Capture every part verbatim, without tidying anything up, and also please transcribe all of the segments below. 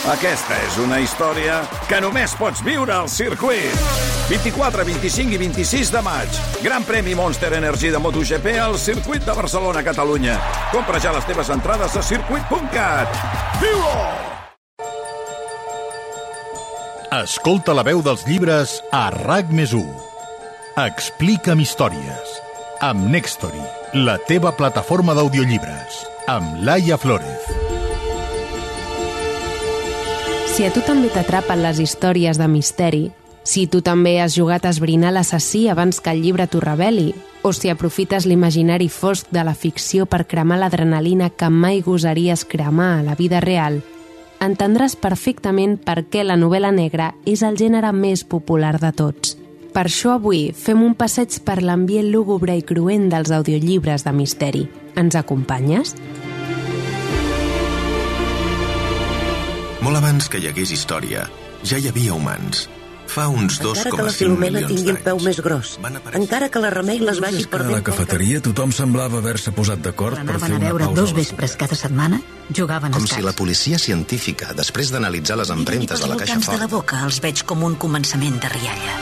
Aquesta és una història que només pots viure al circuit. vint-i-quatre, vint-i-cinc i vint-i-sis de maig. Gran premi Monster Energy de MotoGP al circuit de Barcelona, Catalunya. Compra ja les teves entrades a circuit punt cat. Viu-ho! Escolta la veu dels llibres a RAC més u. Explica'm històries. Amb Nextory, la teva plataforma d'audiollibres. Amb Laia Flórez. Si a tu també t'atrapen les històries de misteri, si tu també has jugat a esbrinar l'assassí abans que el llibre t'ho reveli, o si aprofites l'imaginari fosc de la ficció per cremar l'adrenalina que mai gosaries cremar a la vida real, entendràs perfectament per què la novel·la negra és el gènere més popular de tots. Per això avui fem un passeig per l'ambient lúgubre i cruent dels audiollibres de misteri. Ens acompanyes? Molt abans que hi hagués història, ja hi havia humans. Fa uns dos coma cinc milions d'anys. Encara que la Filomena tingui el peu més gros, encara que la Remei les vagi per dentro. A la cafeteria tothom semblava haver-se posat d'acord per fer una pausa. Anaven a veure dos vespres cada setmana, jugaven a Com si la policia científica, després d'analitzar les empremtes de la caixa fort... de la boca els veig com un començament de rialla.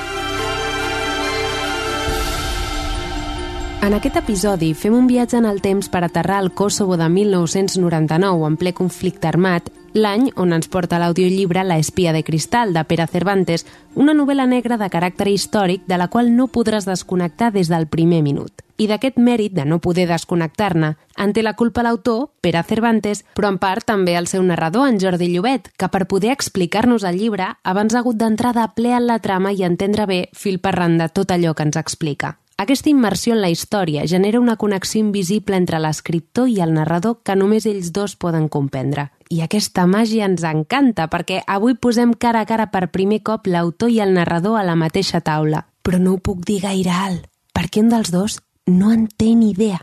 En aquest episodi fem un viatge en el temps per aterrar al Kosovo de mil nou-cents noranta-nou en ple conflicte armat, l'any on ens porta l'audiollibre La espia de cristal, de Pere Cervantes, una novel·la negra de caràcter històric de la qual no podràs desconnectar des del primer minut. I d'aquest mèrit de no poder desconnectar-ne en té la culpa l'autor, Pere Cervantes, però en part també el seu narrador, en Jordi Llobet, que per poder explicar-nos el llibre abans ha hagut d'entrar de ple en la trama i entendre bé fil per randa tot allò que ens explica. Aquesta immersió en la història genera una connexió invisible entre l'escriptor i el narrador que només ells dos poden comprendre. I aquesta màgia ens encanta perquè avui posem cara a cara per primer cop l'autor i el narrador a la mateixa taula. Però no ho puc dir gaire alt, perquè un dels dos no en té ni idea.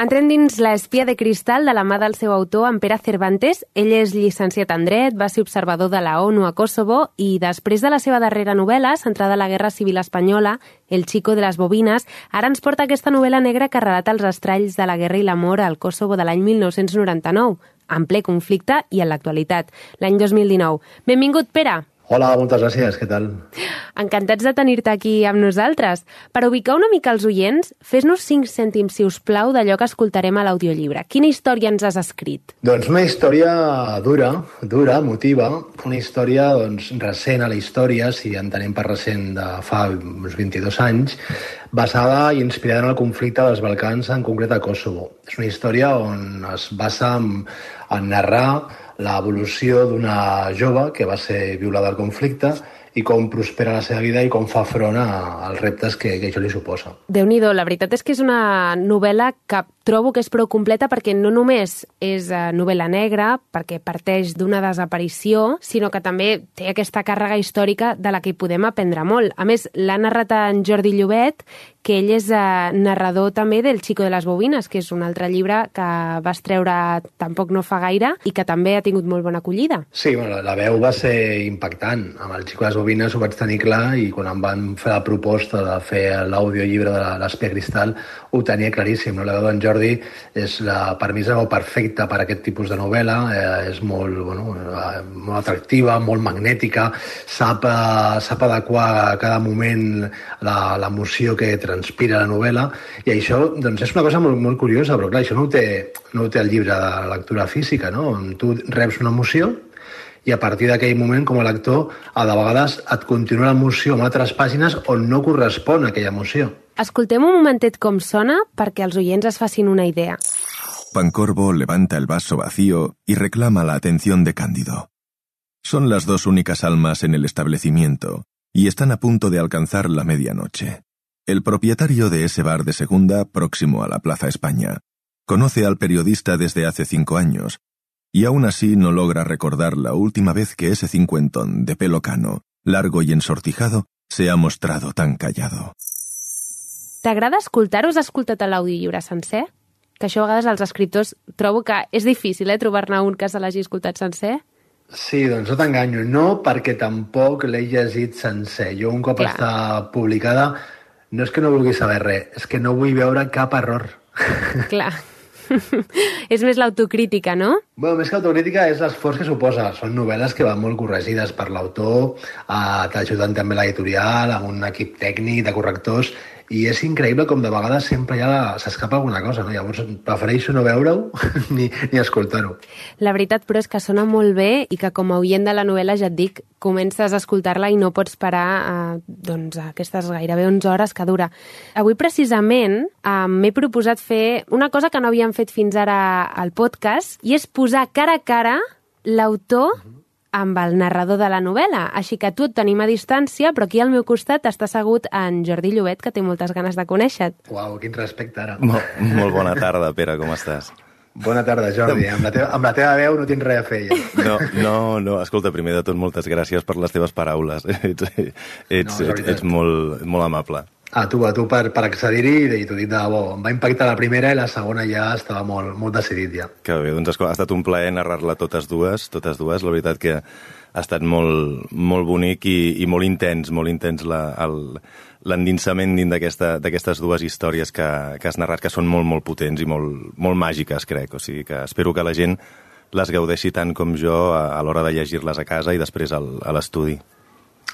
Entrem dins La espia de cristal de la mà del seu autor, en Pere Cervantes. Ell és llicenciat en dret, va ser observador de la ONU a Kosovo i després de la seva darrera novel·la, centrada a la Guerra Civil Espanyola, El chico de les bobines, ara ens porta aquesta novel·la negra que relata els estralls de la guerra i l'amor al Kosovo de l'any mil nou-cents noranta-nou, en ple conflicte i en l'actualitat, l'any dos mil dinou. Benvingut, Pere! Hola, moltes gràcies, què tal? Encantats de tenir-te aquí amb nosaltres. Per ubicar una mica els oients, fes-nos cinc cèntims, si us plau, d'allò que escoltarem a l'audiollibre. Quina història ens has escrit? Doncs una història dura, dura, emotiva, una història doncs, recent a la història, si entenem per recent de fa uns vint-i-dos anys, basada i inspirada en el conflicte dels Balcans, en concret a Kosovo. És una història on es basa en, en narrar l'evolució d'una jove que va ser violada al conflicte i com prospera la seva vida i com fa front a, als reptes que, que això li suposa. Déu-n'hi-do, la veritat és que és una novel·la que trobo que és prou completa perquè no només és uh, novel·la negra, perquè parteix d'una desaparició, sinó que també té aquesta càrrega històrica de la que hi podem aprendre molt. A més, l'ha narrat en Jordi Llobet, que ell és uh, narrador també del Chico de les bobines, que és un altre llibre que vas treure tampoc no fa gaire i que també ha tingut molt bona acollida. Sí, bueno, la veu va ser impactant. Amb el Chico de les bobines ho vaig tenir clar i quan em van fer la proposta de fer l'audiollibre de l'Espia Cristal ho tenia claríssim. No? La veu d'en Jordi és la, per mi és la veu perfecta per a aquest tipus de novel·la, eh, és molt, bueno, eh, molt atractiva, molt magnètica, sap, eh, sap adequar a cada moment l'emoció que transpira la novel·la i això doncs, és una cosa molt, molt curiosa, però clar, això no ho té, no ho té el llibre de lectura física, no? Tu reps una emoció i a partir d'aquell moment, com a lector, a de vegades et continua l'emoció amb altres pàgines on no correspon a aquella emoció. Escoltem un momentet com sona perquè els oients es facin una idea. Pancorbo levanta el vaso vacío y reclama la atención de Cándido. Son las dos únicas almas en el establecimiento y están a punto de alcanzar la medianoche. El propietario de ese bar de segunda, próximo a la Plaza España, conoce al periodista desde hace cinco años y aún así no logra recordar la última vez que ese cincuentón de pelo cano, largo y ensortijado, se ha mostrado tan callado. T'agrada escoltar-ho? Has escoltat l'audiollibre sencer? Que això a vegades els escriptors trobo que és difícil, eh, trobar-ne un que se l'hagi escoltat sencer. Sí, doncs no t'enganyo. No perquè tampoc l'he llegit sencer. Jo un cop Clar. està publicada no és que no vulgui saber res, és que no vull veure cap error. Clar. És més l'autocrítica, no? Bueno, més que autocrítica és l'esforç que suposa. Són novel·les que van molt corregides per l'autor, eh, t'ajuden també l'editorial, amb un equip tècnic de correctors, i és increïble com de vegades sempre ja s'escapa alguna cosa, no? Llavors prefereixo no veure-ho ni, ni escoltar-ho. La veritat, però, és que sona molt bé i que com a oient de la novel·la, ja et dic, comences a escoltar-la i no pots parar eh, doncs, aquestes gairebé onze hores que dura. Avui, precisament, eh, m'he proposat fer una cosa que no havíem fet fins ara al podcast, i és posar cara a cara l'autor amb el narrador de la novel·la. Així que tu et tenim a distància, però aquí al meu costat està assegut en Jordi Llobet, que té moltes ganes de conèixer-te. Uau, quin respecte ara. Molt, molt bona tarda, Pere, com estàs? Bona tarda, Jordi. Amb la, teva, amb la teva veu no tens res a fer, ja. No, no, no. Escolta, primer de tot, moltes gràcies per les teves paraules. Ets, ets, no, ets, ets molt, molt amable. A tu, a tu per, per accedir-hi, i t'ho dic de debò. Em va impactar la primera i la segona ja estava molt, molt decidit, ja. Que bé, doncs ha estat un plaer narrar-la totes dues, totes dues. La veritat que ha estat molt, molt bonic i, i molt intens, molt intens la, el, l'endinsament dins d'aquestes dues històries que, que has narrat, que són molt, molt potents i molt, molt màgiques, crec. O sigui que espero que la gent les gaudeixi tant com jo a, a l'hora de llegir-les a casa i després al, a l'estudi.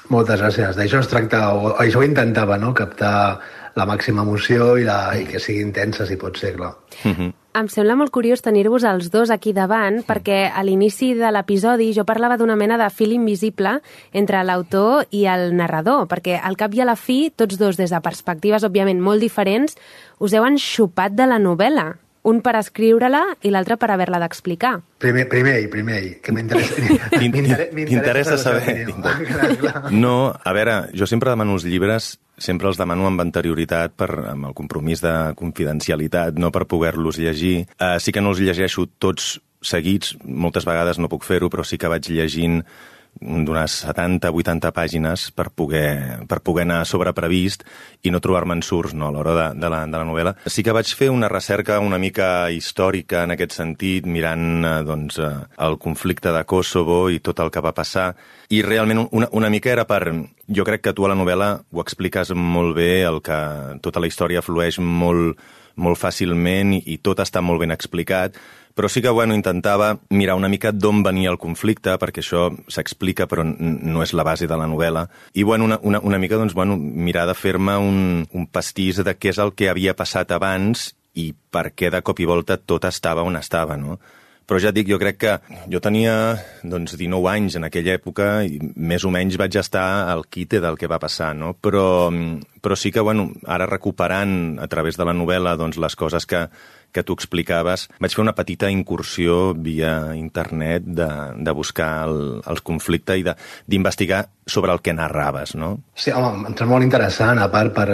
Moltes gràcies. D'això es tracta, o això ho intentava, no?, captar la màxima emoció i, la, i que sigui intensa, si pot ser, clar. Mm-hmm. Em sembla molt curiós tenir-vos els dos aquí davant, mm. perquè a l'inici de l'episodi jo parlava d'una mena de fil invisible entre l'autor i el narrador, perquè al cap i a la fi, tots dos des de perspectives, òbviament, molt diferents, us heu enxupat de la novel·la. Un per escriure-la i l'altre per haver-la d'explicar. Primer, primer ell, primer ell, que m'interessa. T'interessa saber. No, a veure, jo sempre demano els llibres, sempre els demano amb anterioritat, per, amb el compromís de confidencialitat, no per poder-los llegir. Uh, sí que no els llegeixo tots seguits, moltes vegades no puc fer-ho, però sí que vaig llegint d'unes setanta a vuitanta pàgines per poder, per poder anar sobreprevist i no trobar-me ensurts, no, a l'hora de, de, la, de la novel·la. Sí que vaig fer una recerca una mica històrica en aquest sentit, mirant doncs, el conflicte de Kosovo i tot el que va passar, i realment una, una mica era per... Jo crec que tu a la novel·la ho expliques molt bé, el que tota la història flueix molt, molt fàcilment i, i tot està molt ben explicat, però sí que, bueno, intentava mirar una mica d'on venia el conflicte, perquè això s'explica, però no és la base de la novel·la. I, bueno, una, una, una mica, doncs, bueno, mirar de fer-me un, un pastís de què és el que havia passat abans i per què de cop i volta tot estava on estava, no? Però ja et dic, jo crec que jo tenia doncs, dinou anys en aquella època i més o menys vaig estar al quite del que va passar, no? Però, però sí que, bueno, ara recuperant a través de la novel·la doncs, les coses que, que tu explicaves, vaig fer una petita incursió via internet de, de buscar el, el conflicte i d'investigar sobre el que narraves, no? Sí, home, em sembla molt interessant, a part per,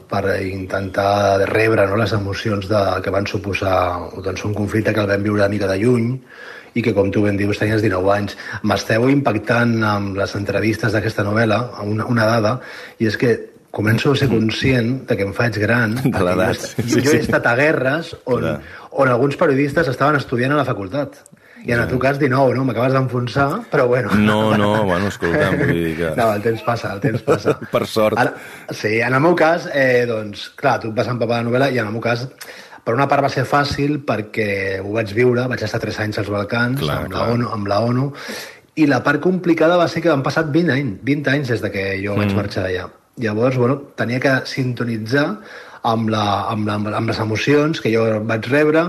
per intentar rebre, no, les emocions de, que van suposar doncs, un conflicte que el vam viure una mica de lluny i que, com tu ben dius, tenies dinou anys. M'esteu impactant amb les entrevistes d'aquesta novel·la, una, una dada, i és que començo a ser conscient de que em faig gran. De l'edat. Jo, sí, jo he estat a guerres on, on alguns periodistes estaven estudiant a la facultat. I en el teu cas dinou, no? M'acabes d'enfonsar, però bueno. No, no, bueno, escolta, vull dir que... No, el temps passa, el temps passa. Per sort. Ara, sí, en el meu cas, eh, doncs, clar, tu et vas empapar la novel·la i en el meu cas, per una part va ser fàcil perquè ho vaig viure, vaig estar tres anys als Balcans, clar, amb, clar. La ONU, amb la ONU, i la part complicada va ser que han passat vint anys, vint anys des de que jo mm. vaig marxar d'allà. Llavors, bueno, tenia que sintonitzar amb, la, amb, la, amb les emocions que jo vaig rebre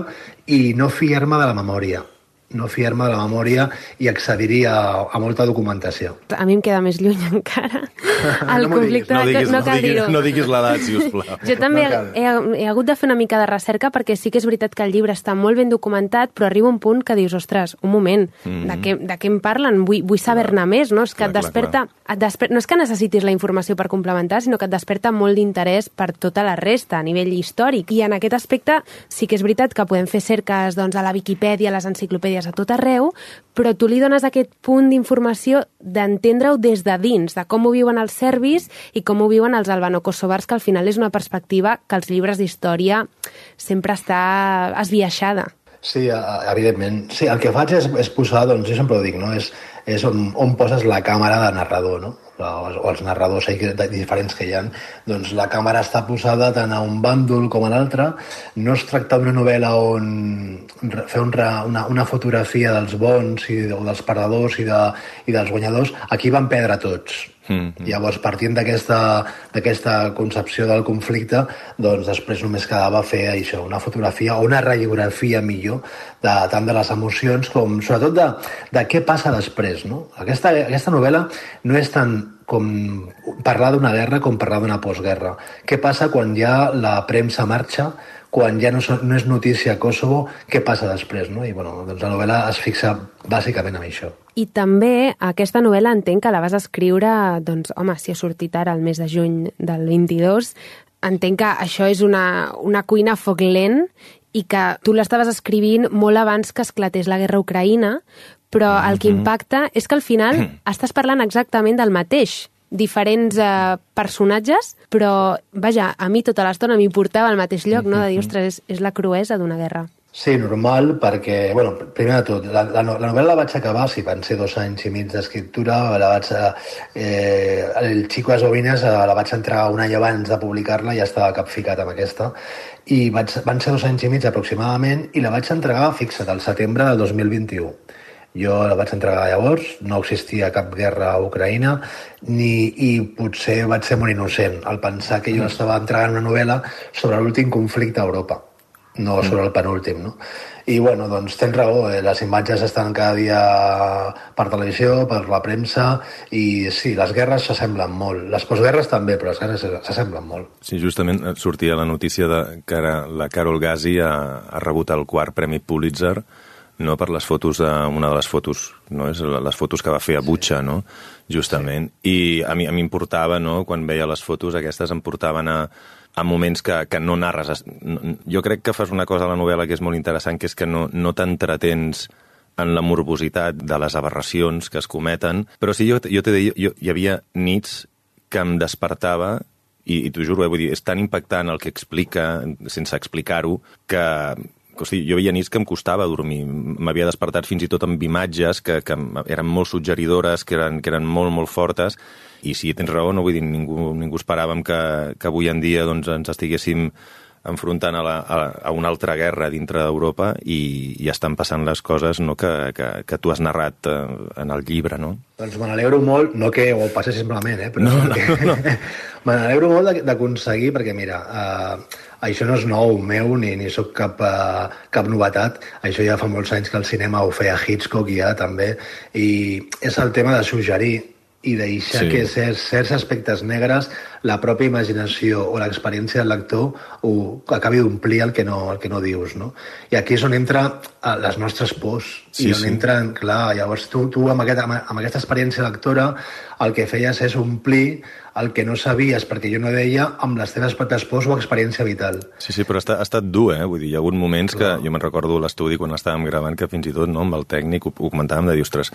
i no fiar-me de la memòria. no fiar-me de la memòria i accedir a, a molta documentació. A mi em queda més lluny encara el no conflicte. No diguis, no, no, diguis, no diguis l'edat, si us plau. Jo també no he, he hagut de fer una mica de recerca perquè sí que és veritat que el llibre està molt ben documentat, però arriba un punt que dius, ostres, un moment, mm. de, què, de què em parlen? Vull, vull saber-ne més, no? És que clar, et desperta, clar, clar. Et desper... no és que necessitis la informació per complementar, sinó que et desperta molt d'interès per tota la resta, a nivell històric. I en aquest aspecte sí que és veritat que podem fer cerques doncs, a la Viquipèdia, a les enciclopèdies, a tot arreu, però tu li dones aquest punt d'informació d'entendre-ho des de dins, de com ho viuen els serbis i com ho viuen els albano-kosovars, que al final és una perspectiva que als llibres d'història sempre està esbiaixada. Sí, evidentment. Sí, el que faig és, és posar, doncs jo sempre ho dic, no? És, és on, on poses la càmera de narrador, no? o els narradors diferents que hi ha, doncs la càmera està posada tant a un bàndol com a l'altre. No es tracta d'una novel·la on fer un, una, una fotografia dels bons i, o dels perdedors i, de, i dels guanyadors. Aquí van perdre tots. Mm-hmm. Llavors, partint d'aquesta concepció del conflicte, doncs després només quedava fer això, una fotografia o una radiografia millor de, tant de les emocions com sobretot de, de què passa després, no? Aquesta, aquesta novel·la no és tant com parlar d'una guerra com parlar d'una postguerra. Què passa quan ja la premsa marxa, quan ja no, no és notícia a Kosovo, què passa després, no? I bueno, doncs la novel·la es fixa bàsicament en això. I també aquesta novel·la entenc que la vas escriure, doncs, home, si ha sortit ara el mes de juny del vint-i-dos, entenc que això és una, una cuina a foc lent i que tu l'estaves escrivint molt abans que esclatés la guerra a Ucraïna, però el que impacta és que al final estàs parlant exactament del mateix, diferents eh, personatges, però, vaja, a mi tota l'estona m'hi portava al mateix lloc, no? De dir, ostres, és, és la cruesa d'una guerra. Sí, normal, perquè, bueno, primer de tot, la, la, la novel·la la vaig acabar, sí, van ser dos anys i mig d'escriptura, la vaig, eh, el Chico Las Bovinas la vaig entregar un any abans de publicar-la, ja estava capficat amb aquesta, i vaig, van ser dos anys i mig aproximadament, i la vaig entregar, fixa't, al setembre del dos mil vint-i-u. Jo la vaig entregar llavors, no existia cap guerra a Ucraïna, ni, i potser vaig ser molt innocent al pensar que jo estava entregant una novel·la sobre l'últim conflicte a Europa, no sobre el penúltim, no? I, bueno, doncs tens raó, eh? Les imatges estan cada dia per televisió, per la premsa, i sí, les guerres s'assemblen molt. Les postguerres també, però les guerres s'assemblen molt. Sí, justament sortia la notícia de que ara la Carol Gasi ha, ha rebut el quart Premi Pulitzer, no, per les fotos, de, una de les fotos, no, és les fotos que va fer a Butxa, no, justament, sí. I a mi, a mi em portava, no, quan veia les fotos aquestes, em portaven a, a moments que, que no narres. Jo crec que fas una cosa a la novel·la que és molt interessant, que és que no, no t'entretens en la morbositat de les aberracions que es cometen, però sí, jo, jo t'he de dir, jo, hi havia nits que em despertava, i, i t'ho juro, eh, vull dir, és tan impactant el que explica, sense explicar-ho, que... O sigui, jo veia nits que em costava dormir. M'havia despertat fins i tot amb imatges que, que eren molt suggeridores, que eren, que eren molt, molt fortes. I sí, tens raó, no vull dir, ningú, ningú esperàvem que, que avui en dia doncs, ens estiguéssim enfrontant a, la, a, a una altra guerra dintre d'Europa i, i estan passant les coses, no, que, que, que tu has narrat eh, en el llibre, no? Doncs me n'alegro molt, no que ho passi simplement, eh? Però no, no, que... no. me n'alegro molt d'aconseguir, perquè mira, eh, això no és nou meu, ni, ni sóc cap, uh, cap novetat. Això ja fa molts anys que el cinema ho feia Hitchcock ja, també. I és el tema de suggerir i deixar sí. que certs, certs aspectes negres, la pròpia imaginació o l'experiència del lector ho acabi d'omplir el, que no, el que no dius, no? I aquí és on entra les nostres pors. Sí, I on sí. entren, clar, llavors tu, tu amb, aquest, amb aquesta experiència lectora el que feies és omplir el que no sabies, perquè jo no deia, amb les teves pròpies pors o experiència vital. Sí, sí, però ha estat, ha estat dur, eh? Vull dir, hi ha hagut moments que, jo me'n recordo a l'estudi quan estàvem gravant, que fins i tot, no, amb el tècnic ho, ho comentàvem de dir, ostres,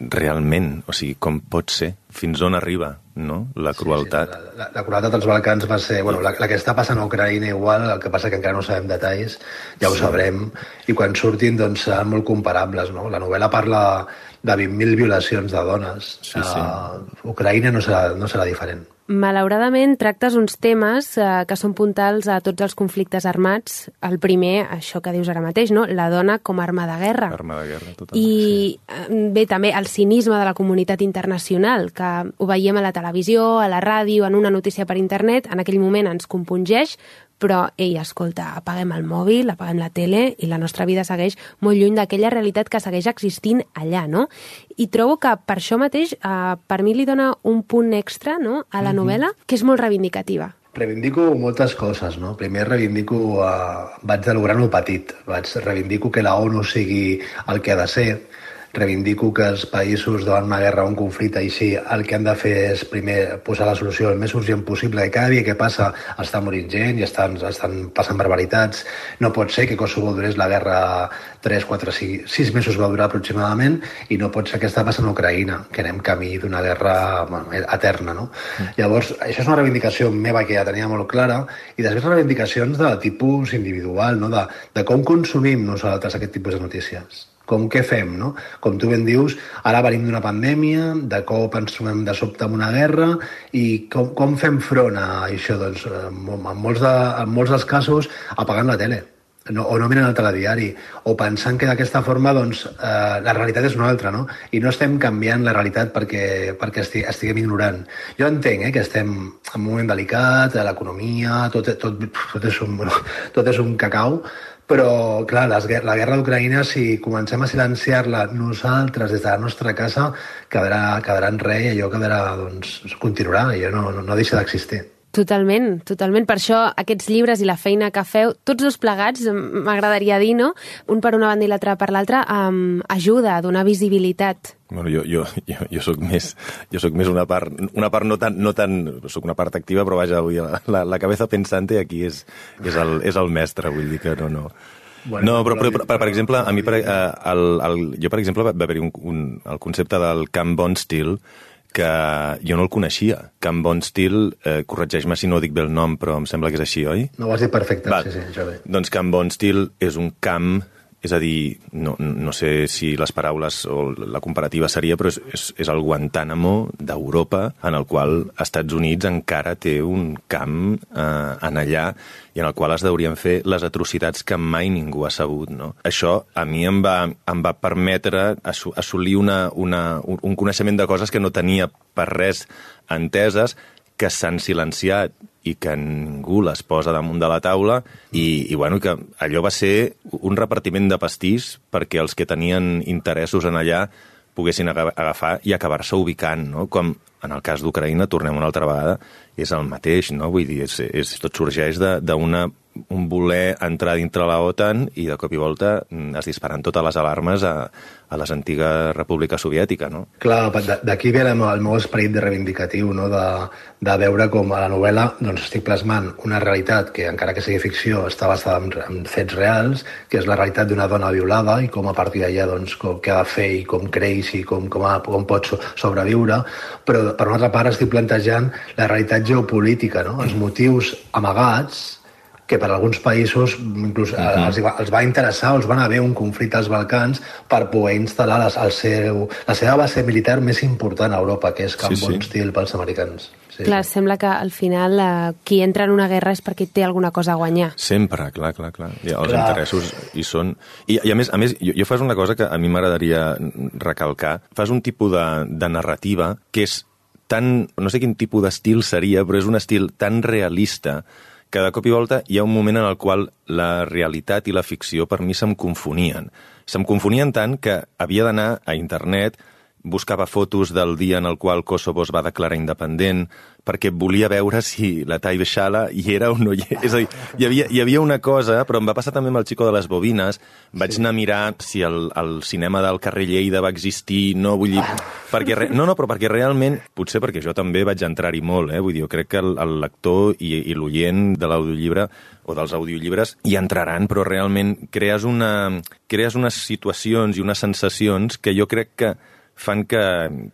realment, o sigui, com pot ser? Fins on arriba, no?, la crueltat. Sí, sí, la, la, la crueltat als Balcans va ser... Bueno, la, la que està passant a Ucraïna igual, el que passa que encara no sabem detalls, ja ho sí. sabrem, i quan surtin, doncs, seran molt comparables, no? La novel·la parla de vint mil violacions de dones. Sí, sí. Uh, Ucraïna no serà, no serà diferent. Malauradament, tractes uns temes eh, que són puntals a tots els conflictes armats. El primer, això que dius ara mateix, no? La dona com a arma de guerra. Arma de guerra, totalment. I sí. bé, també el cinisme de la comunitat internacional, que ho veiem a la televisió, a la ràdio, en una notícia per internet, en aquell moment ens compungeix, però, ei, escolta, apaguem el mòbil, apaguem la tele i la nostra vida segueix molt lluny d'aquella realitat que segueix existint allà, no? I trobo que per això mateix, eh, per mi li dona un punt extra, no?, a la novel·la, que és molt reivindicativa. Reivindico moltes coses, no? Primer reivindico, eh, vaig de lo gran o petit, vaig reivindico que la ONU sigui el que ha de ser, reivindico que els països davant una guerra o un conflicte així el que han de fer és primer posar la solució el més urgent possible, que cada dia que passa està morint gent i estan, estan passant barbaritats. No pot ser que Kosovo durés la guerra tres, quatre, sis mesos va durar aproximadament, i no pot ser que està passant a Ucraïna, que anem camí d'una guerra, bueno, eterna, no? Mm. Llavors, això és una reivindicació meva que ja tenia molt clara, i després reivindicacions de tipus individual, no? de, de com consumim nosaltres aquest tipus de notícies. Com què fem, no? Com tu ben dius, ara venim d'una pandèmia, de cop ens trobem de sobte amb una guerra, i com, com fem front a això? Doncs en molts, de, en molts dels casos apagant la tele. No, o no miren el telediari, o pensant que d'aquesta forma doncs, eh, la realitat és una altra, no? I no estem canviant la realitat perquè, perquè esti, estiguem ignorant. Jo entenc eh, que estem en un moment delicat, l'economia, tot, tot, tot, és un, bueno, tot és un cacau, però, clar, les, la guerra d'Ucraïna, si comencem a silenciar-la nosaltres des de la nostra casa, quedarà, quedarà en res i allò quedarà, doncs, continuarà, i allò no, no, no deixa d'existir. Totalment, totalment. Per això aquests llibres i la feina que feu, tots dos plegats, m'agradaria dir, no? Un per una banda i l'altre per l'altra, um, ajuda a donar visibilitat. Bueno, jo, jo, jo, jo soc més, jo soc més una part, una part no tan, no tan, soc una part activa, però vaja, la, la, la cabeza pensante aquí és, és, el, és el mestre, vull dir que no, no. Bueno, no, però, però, però per, per exemple, a mi, per, el, el, jo, per exemple, va haver-hi un, un, el concepte del Camp Bon Stil, que jo no el coneixia. Camp Bon Stil, eh, corregeix-me si no dic bé el nom, però em sembla que és així, oi? No, ho has dit perfecte, Va, sí, sí, Jordi. Doncs Camp Bon Stil és un camp, és a dir, no, no sé si les paraules o la comparativa seria, però és, és, és el Guantánamo d'Europa, en el qual els Estats Units encara té un camp eh, en allà i en el qual es deurien fer les atrocitats que mai ningú ha sabut, no? Això a mi em va, em va permetre assolir una, una, un coneixement de coses que no tenia per res enteses, que s'han silenciat i que ningú les posa damunt de la taula i, i bueno, que allò va ser un repartiment de pastís perquè els que tenien interessos en allà poguessin agafar i acabar-se ubicant, no? Com en el cas d'Ucraïna, tornem una altra vegada, és el mateix, no? Vull dir, és, és, tot sorgeix d'un voler entrar dintre la OTAN i de cop i volta es disparen totes les alarmes a, a les antigues república soviètica, no? Clar, d'aquí ve el meu, el meu esperit de reivindicatiu, no? de, de veure com a la novel·la doncs, estic plasmant una realitat que, encara que sigui ficció, està basada en, en fets reals, que és la realitat d'una dona violada i com a partir d'allà doncs, com, què ha de fer i com creix i com, com, ha, com pot sobreviure, però per una altra part estic plantejant la realitat geopolítica, no? Els motius amagats que per alguns països inclús uh-huh. els, els va interessar o els van haver un conflicte als Balcans per poder instal·lar les, el seu, la seva base militar més important a Europa, que és Camp sí, Bon sí. Stil pels americans. Sí, clar, sí. Sembla que al final eh, qui entra en una guerra és perquè té alguna cosa a guanyar. Sempre, clar, clar, clar. I els clar. interessos hi són. I, i a més, a més jo, jo fas una cosa que a mi m'agradaria recalcar. Fas un tipus de, de narrativa que és tan, no sé quin tipus d'estil seria, però és un estil tan realista que de cop i volta hi ha un moment en el qual la realitat i la ficció per mi se'm confonien. Se'm confonien tant que havia d'anar a internet, buscava fotos del dia en el qual Kosovo es va declarar independent, perquè volia veure si la Taibe Shala hi era o no hi era. És a dir, hi havia, hi havia una cosa, però em va passar també amb el Chico de les Bobines, vaig anar a mirar si el, el cinema del carrer Lleida va existir, no, vull dir... Perquè re... No, no, però perquè realment, potser perquè jo també vaig entrar-hi molt, eh? Vull dir, jo crec que el, el lector i, i l'oient de l'audiollibre o dels audiollibres hi entraran, però realment crees, una, crees unes situacions i unes sensacions que jo crec que fan que,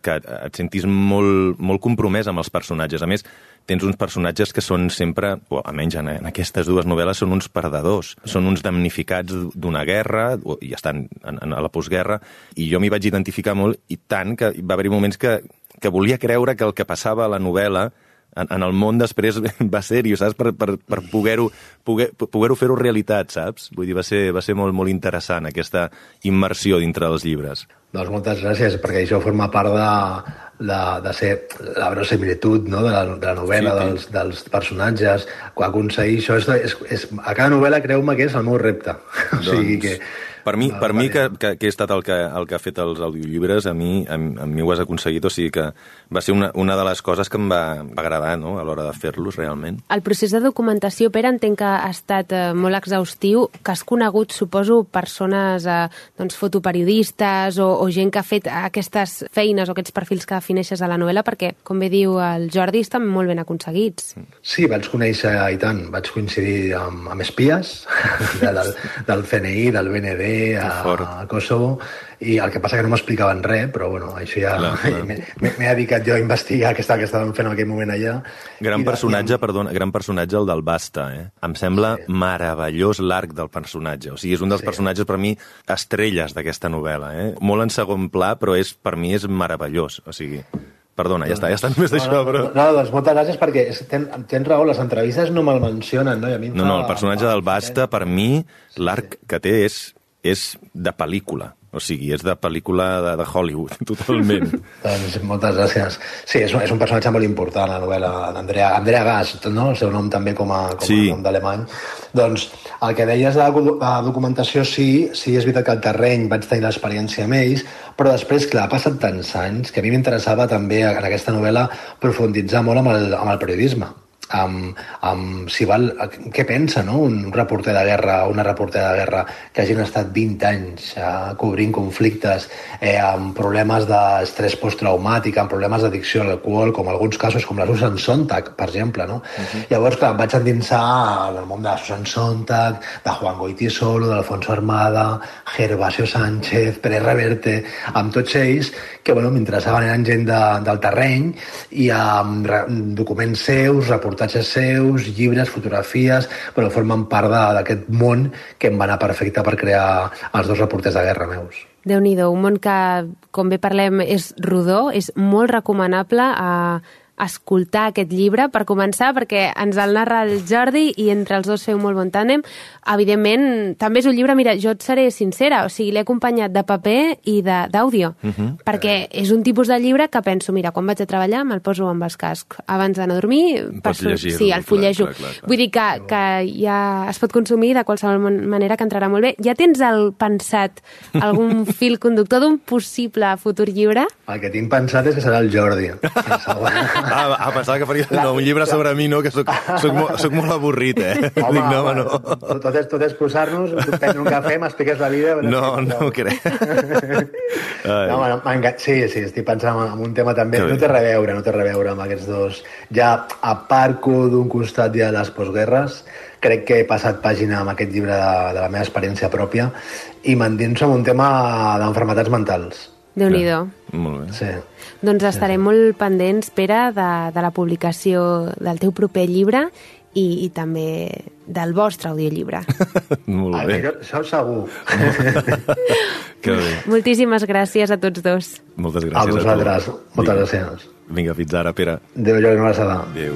que et sentis molt, molt compromès amb els personatges. A més, tens uns personatges que són sempre, o almenys en, en aquestes dues novel·les, són uns perdedors. Són uns damnificats d'una guerra, i estan en, en, a la postguerra, i jo m'hi vaig identificar molt, i tant que va haver-hi moments que, que volia creure que el que passava a la novel·la en, en el món després va ser-hi, saps? Per, per, per poder-ho poder, poder fer-ho realitat, saps? Vull dir, va ser, va ser molt, molt interessant aquesta immersió dintre dels llibres. Doncs moltes gràcies, perquè això forma part de, de, de ser la verosimilitud, no? de, la, de la novel·la, sí, dels, dels personatges. Aconseguir això, és, és, és, a cada novel·la, creu-me que és el meu repte. Doncs, o sigui que... Per mi, per mi que, que, que he estat el que, el que ha fet els audiollibres, a mi, a, a mi ho has aconseguit, o sigui que va ser una, una de les coses que em va, va agradar, no?, a l'hora de fer-los, realment. El procés de documentació, Pere, entenc que ha estat eh, molt exhaustiu, que has conegut, suposo, persones, eh, doncs, fotoperiodistes o, o gent que ha fet aquestes feines o aquests perfils que defineixes a la novel·la, perquè, com bé diu el Jordi, estan molt ben aconseguits. Sí, vaig conèixer, i tant, vaig coincidir amb, amb espies del, del C N I, del B N D, bé a, a Kosovo, i el que passa que no m'explicaven res, però bueno, això ja m'he dedicat jo a investigar què estàvem fent en aquell moment allà. Gran personatge, perdona, gran personatge el del Basta, eh? Em sembla meravellós l'arc del personatge. O sigui, és un dels personatges, per mi, estrelles d'aquesta novel·la, eh? Molt en segon pla, però és, per mi és meravellós. O sigui, perdona, ja està, ja està només d'això, però... No, doncs moltes gràcies, perquè tens raó, les entrevistes no me'l mencionen, no? No, no, el personatge del Basta, per mi, l'arc que té és de pel·lícula. O sigui, és de pel·lícula de, de Hollywood, totalment. Doncs moltes gràcies. Sí, és un, és un personatge molt important, la novel·la d'Andrea Andrea Gaz, no? El seu nom també com a, com a sí. nom d'alemany. Doncs el que deies de la documentació, sí, sí, és veritat que al terreny vaig tenir l'experiència amb ells, però després, clar, ha passat tants anys que a mi m'interessava també en aquesta novel·la profunditzar molt amb el, amb el periodisme. Amb, amb, si val, què pensa, no? Un reporter de guerra, una reportera de guerra que hagin estat vint anys eh, cobrint conflictes, eh, amb problemes d'estrès posttraumàtic, amb problemes d'addicció a l'alcohol, com alguns casos, com la Susan Sontag, per exemple, no? Uh-huh. Llavors, clar, em vaig endinsar en el món de la Susan Sontag, de Juan Goytisolo, de Alfonso Armada, Gervasio Sánchez, Pérez Reverte, amb tots ells, que, bueno, m'interessaven, eren gent de, del terreny, i amb re, documents seus, reportatges seus, llibres, fotografies, bueno, formen part d'aquest món que em va anar perfecte per crear els dos reporters de guerra meus. Déu-n'hi-do, un món que, com bé parlem, és rodó, és molt recomanable a escoltar aquest llibre, per començar, perquè ens el narra el Jordi i entre els dos feu molt bon tàndem. Evidentment, també és un llibre, mira, jo et seré sincera, o sigui, l'he acompanyat de paper i d'àudio, uh -huh. perquè és un tipus de llibre que penso, mira, quan vaig a treballar me'l poso amb els cascs. Abans d'anar a dormir, pots llegir-lo. Sí, el fullejo. Clar, clar, clar. Vull dir que, que ja es pot consumir de qualsevol manera, que entrarà molt bé. Ja tens el pensat, algun fil conductor d'un possible futur llibre? El que tinc pensat és que serà el Jordi. Ah, ah, pensava que faria no, un llibre sobre mi, no? Que soc, soc, molt, soc molt avorrit, eh? Home, Dic, no, home, no. Tot és, tot és posar-nos, prendre un cafè, m'expliques la vida... No, no ho crec. No, home, sí, sí, estic pensant en un tema també... No té res a veure, no té res a veure amb aquests dos. Ja aparco d'un costat ja les postguerres, crec que he passat pàgina amb aquest llibre de, de la meva experiència pròpia i m'endinso en un tema d'enfermetats mentals. Déu-n'hi-do. Molt bé. Sí. Doncs estarem sí. molt pendents, Pere, de, de la publicació del teu proper llibre i, i també del vostre audiollibre. Molt bé. Ah, això segur. Que bé. Moltíssimes gràcies a tots dos. Moltes gràcies a vosaltres. A tu. Moltes gràcies. Vinga, fins ara, Pere. Adéu, Jordi, una abraçada. Adéu.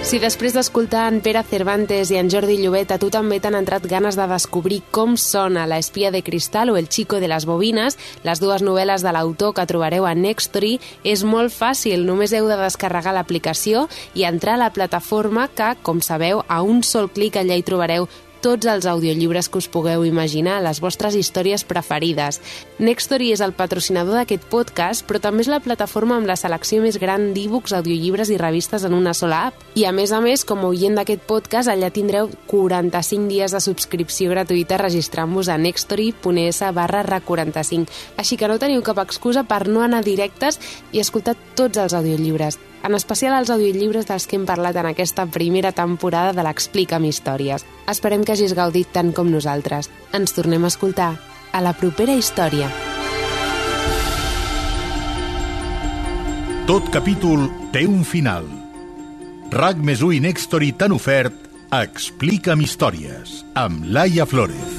Si després d'escoltar en Pere Cervantes i en Jordi Llobet a tu també t'han entrat ganes de descobrir com sona La espia de cristal o El chico de les bobines, les dues novel·les de l'autor que trobareu a Nextory, és molt fàcil. Només heu de descarregar l'aplicació i entrar a la plataforma que, com sabeu, a un sol clic allà hi trobareu tots els audiollibres que us pugueu imaginar, les vostres històries preferides. Nextory és el patrocinador d'aquest podcast, però també és la plataforma amb la selecció més gran d'e-books, audiollibres i revistes en una sola app. I a més a més, com a oient d'aquest podcast, allà tindreu quaranta-cinc dies de subscripció gratuïta registrant-vos a nextory.es barra RAC quaranta-cinc. Així que no teniu cap excusa per no anar directes i escoltar tots els audiollibres, en especial els audiollibres dels que hem parlat en aquesta primera temporada de l'Explica'm Històries. Esperem que hagis gaudit tant com nosaltres. Ens tornem a escoltar a la propera història. Tot capítol té un final. RAC més u i Nextory t'han ofert Explica'm Històries, amb Laia Flórez.